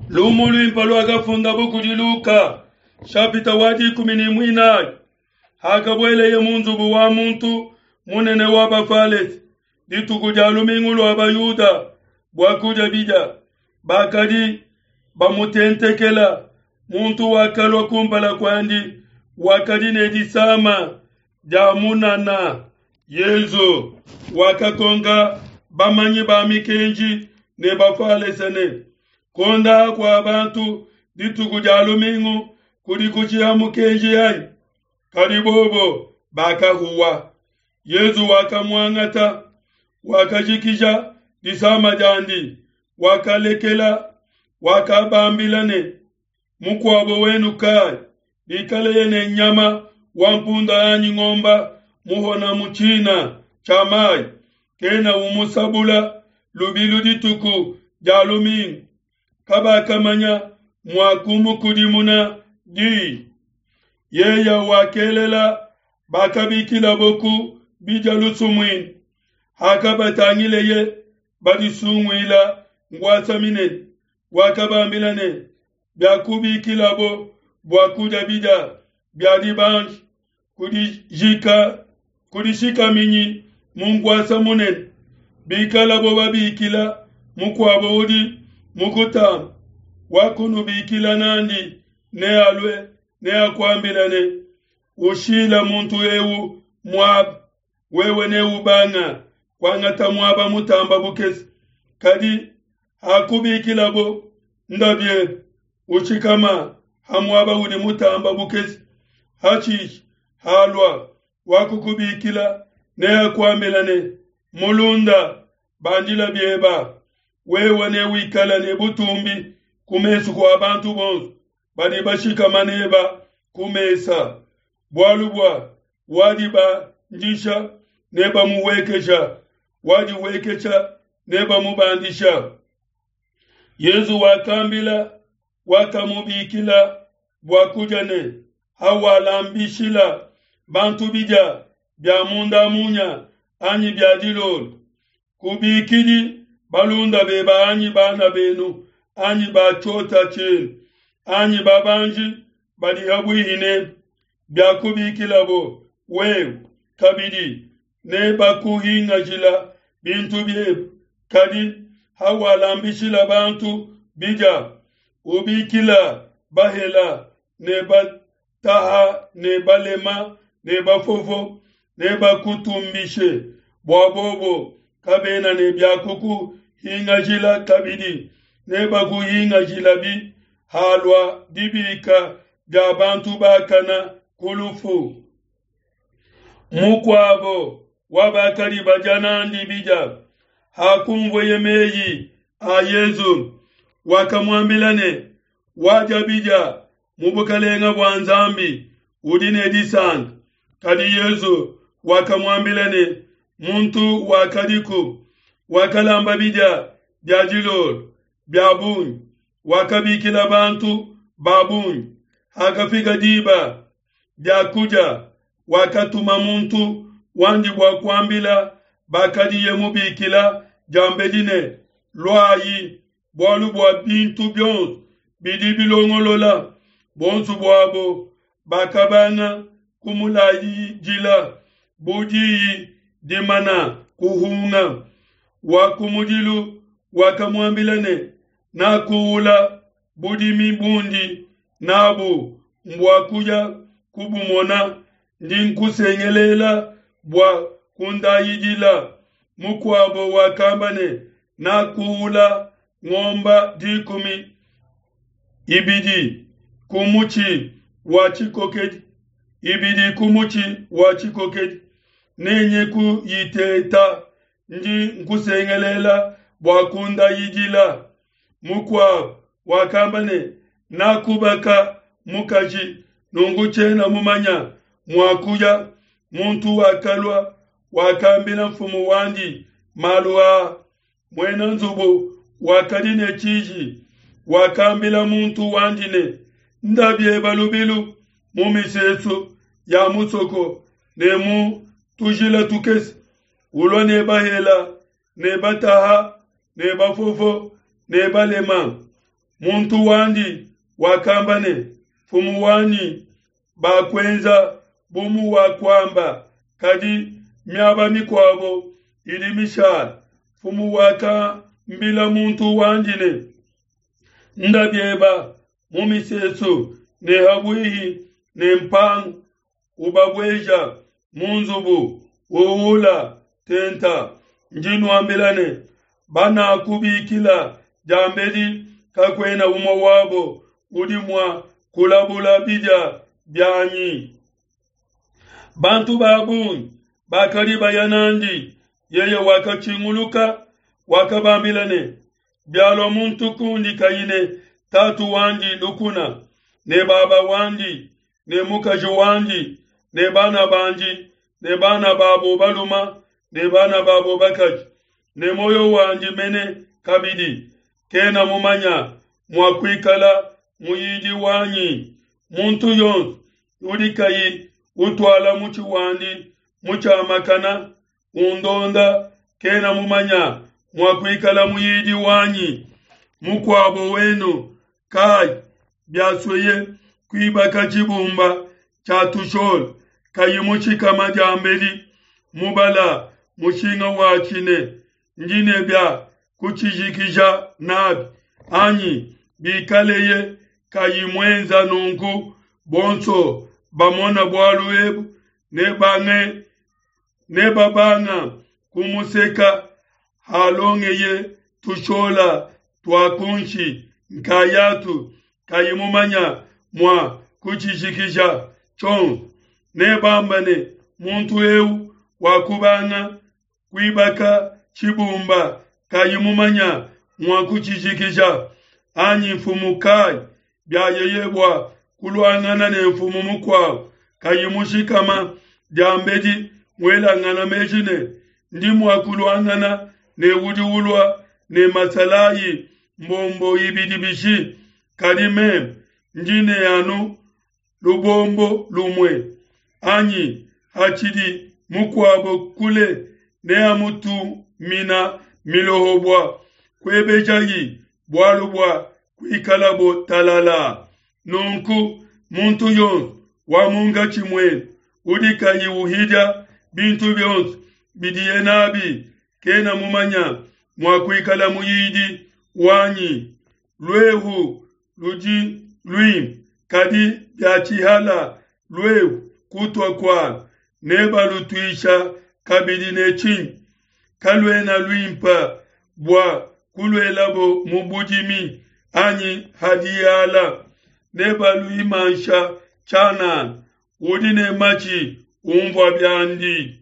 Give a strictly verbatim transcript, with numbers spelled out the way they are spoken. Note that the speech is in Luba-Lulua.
Lumu luimpe luakafundabo kudi Luka, shapita wa dikumi ne muinayi. Hakabueleye mu nzubu wa muntu munene wa Bafalese dituku dia lumingu lua Bayuda bua kudia bidia, bakadi bamutentekela. Muntu wakalua kumpala kuandi wakadi ne disama dia munana. Yezu wakakonka bamanyi ba mikenji ne Bafalese ne, kuondaha kua bantu dituku dia lumingu kudi kushiha mukenji anyi? Kadi bobo bakahuwa. Yezu wakamuangata, wakajikija disama diandi, wakalekela, wakabambila ne, mukuabo wenu kai, bikaleye ne nyama wa mpunda anyi ngomba muhona mu tshina tshia mai, kena umusabula lubilu dituku dia lumingu? Kabakamanya mua kumukudimuna di. Yeya wakelela bakabikilabo ku bidia lusumuinu. Hakabatangileye badisunguila nkuasa minene, wakabambila ne, biakubikilabo bua kudia bidia bia dibanji, kudijika kudishikaminyi mu nkuasa munene. Bikalabo babikila mukuabo udi mukutamba, wakunubikila nandi nealue, neakuambila ne, ushila muntu eu muaba, wewe neubanga kuangata muaba mutamba bukese. Kadi hakubikilabo, nda biebe, ushikama ha muaba udi mutamba bukese. Hashishe halua wakukubikila neakuambila ne, mulunda, bandila bieba, wewe newikala ne butumbi ku mesu kua bantu bonso badi bashikama neba ku mesa. Bualu bua wadibandisha nebamuwekesha, wadiwekesha nebamubandisha. Yezu wakambila wakamubikila bua kudia ne, hawalambishila bantu bidia bia munda munya anyi bia dilolo, kubikidi balunda beba anyi bana benu anyi ba tshiota tshienu anyi babanji badi habuihi nebe, biakubikilabo wewe kabidi nebakuhingajila bintu biebe. Kadi hawalambishila bantu bidia, ubikila bahela ne bataha ne balema ne bafofo, nebakutumbishe, bua bobo kabena ne biakukuhingajila kabidi, nebakuhingajilabi halua dibika dia bantu bakana ku lufu. Mukuabo wa bakadi badia nandi bidia, hakunvueye meyi a Yezu, wakamuambila ne, wadia bidia mu bukelenge bua Nzambi udi ne disanka. Kadi Yezu wakamuambila ne, muntu wakadiku wakalamba bidia bia dilolo bia bungi, wakabikila bantu ba bungi. Hakafika diba dia kudia, wakatuma muntu wandi bua kuambila bakadiye mubikila diambedi ne, luayi, bualu bua bintu bionso bidi bilongolola. Bonso buabo bakabanga kumulayidila bu diyi dimana kuhunga. Wa kumudilu wakamuambila ne, nakuula budimi bundi nabu mbua kuya kubumona, ndi nkusengelela bua kundayidila. Mukuabo wakamba ne, nakuula ngomba dikumi ibidi ku mutshi wa tshikokedi, ibidi ku mutshi wa tshikokedi, nenye kuyiteta, ndi nkusengelela bua kundayidila. Mukuabo wakamba ne, nakubaka mukaji, nunku tshiena mumanya mua kuya. Muntu wakalua wakambila mfumu wandi malu aa. Muena nzubu wakadi ne tshiji, wakambila muntu wandi ne, nda bieba lubilu mu misesu ya musoko ne mu tujila tukese, ulua ne bahela ne bataha ne bafofo ne balema. Muntu wandi wakamba ne, Mfumu wanyi, bakuenza bu muwakuamba, kadi miaba mikuabo idi mishale. Mfumu wakambila muntu wandi ne, Nda bieba mu misesu ne ha buihi ne mpangu, ubabueja mu nzubu, uula tenta. Ndi nuambila ne, banakubikila diambedi kakuena umue wabo udi mua kulabula bidia bianyi. Bantu ba bungi bakadi baya n'andi, yeye wakatshinguluka, wakabambila ne, Bialua muntu kundi kayi ne tatu wandi lukuna, ne baba wandi, ne mukaji wandi, ne bana bandi, ne bana babo baluma, ne bana babo bakaji, ne muoyo wandi mene kabidi, kena mumanya mua kuikala muyidi wanyi. Muntu yonso udi kayi utuala mutshi wandi mutshiamakana, undonda, kena mumanya mua kuikala muyidi wanyi. Mukuabo wenu kai, biasueye kuibaka tshibumba tshia tushola, kayi mushikama diambedi mubala mushinga watshi ne ndi ne bia kutshijikija nabi, anyi? Bikaleye kayi muenza nunku, bonso bamona bualu ebu nebange nebabanga kumuseka, halongeye tushola tua kunshi nkayatu, kayi mumanya mua kutshijikija tshionso. Nebamba ne, muntu eu wakubanga kuibaka tshibumba kayi mumanya mua kutshijikija. Anyi mfumu kai, biayeye bua kuluangana ne mfumu mukuabo, kayi mushikama diambedi muelangana meji ne, ndi mua kuluangana ne udi ulua ne masalayi mbombo ibidi bishi? Kadi meme ndi ne anu lubombo lumue. Anyi hatshidi mukuabo kule, neamutumina miloho bua kuebejayi bualu bua kuikalabo talala. Nunku muntu yonso wa munkatshi muenu udi kayi uhidia bintu bionso bidiye nabi, kena mumanya mua kuikala muyidi wanyi. Luehu ludi luimpe, kadi biatshihala luehu kutua kualu, nebalutuisha kabidi ne tshinyi? Kaluena luimpe bua kuluelabo mu budimi anyi ha diala, nebaluimansha tshianana. Udi ne matshi unvua biandi.